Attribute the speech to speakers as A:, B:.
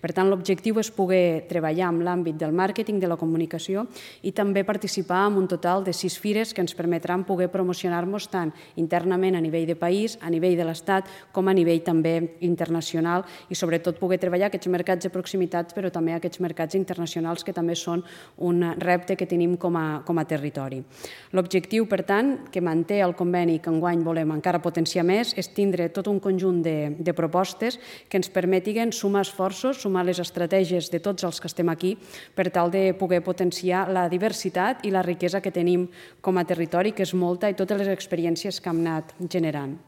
A: Per tant, l'objectiu és poder treballar en l'àmbit del màrqueting, de la comunicació i també participar en un total de 6 fires que ens permetran poder promocionar-nos tant internament a nivell de país, a nivell de l'Estat, com a nivell també internacional i sobretot poder treballar aquests mercats de proximitat però també aquests mercats internacionals que també són un repte que tenim com a territori. L'objectiu, per tant, que manté el conveni que enguany volem encara potenciar més és tindre tot un conjunt de propostes que ens permetin sumar esforços, sumar les estratègies de tots els que estem aquí per tal de poder potenciar la diversitat i la riquesa que tenim com a territori, que és molta, i totes les experiències que hem anat generant.